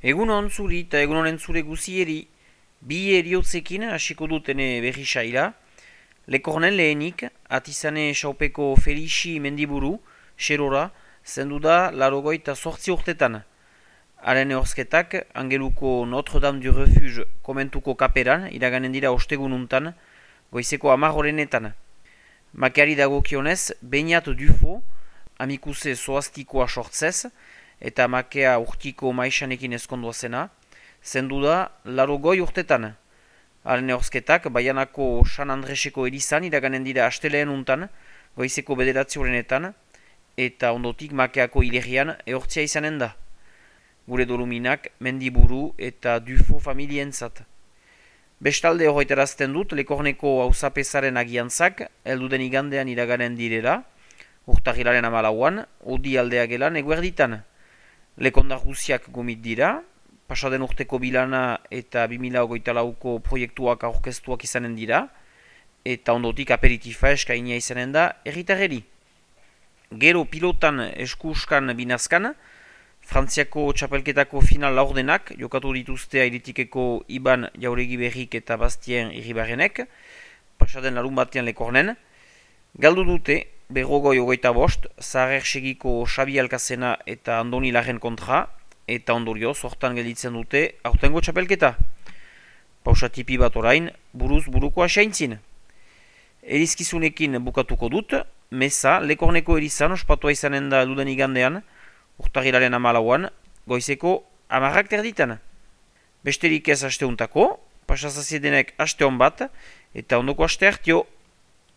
Egun hon zuri eta egun honen zure guzieri, bi eriotzekin hasiko dutene berri saila, lekornen lehenik, atizane saupeko Felixi mendiburu, xerora, zendu da larogoita sortzi urtetan. Haren ehorzketak, Angeluko Notre-Dame du Refuge komentuko kaperan, iraganen dira ostegununtan, goizeko 10 horrenetan. Makeari dagokionez, Beñat Dufo, amikuse zoaztikoa sortzez, eta makea urtiko maisanekin ezkondua zena, zendu da larogoi urtetan. Haren ehorzketak, Baianako San Andreseko erizan iraganen dira asteleen untan, goizeko 9 horrenetan, eta ondotik makeako hilerrian ehortzia izanen da. Gure doluminak Mendiburu eta Dufo familientzat. Bestalde horretarazten dut Lekorneko auzapezaren agiantzak, elduden igandean iraganen direla, urtahilaren 14an, odi aldea gelan eguerditan. Lekondar guziak gomit dira, pasaden urteko bilana eta 2024ko proiektuak aurkeztuak izanen dira, eta ondotik aperitifa eskainia izanen da erritarreri. Gero pilotan eskuskan binazkan, Frantziako txapelketako final laurdenak jokatu dituzte Airitikeko Iban Jauregi Berrik eta Bastien Irribarrenek, pasaden larun batean Lekornen. Galdu dute, berrogoi 25, Zaharer segiko Xabi Alkazena eta Andoni Larren kontra, eta ondorioz hortan gelditzen dute aurtengo txapelketa. Pausatipi bat orain, buruz buruko asaintzin. Erizkizunekin bukatuko dut, Meza Lekorneko erizan ospatua izanen da duden igandean, urtahilaren 14an, goizeko 10 terditan. Besterik ez asteuntako, pasazaziedenek aste hon bat, eta ondoko aste hartio.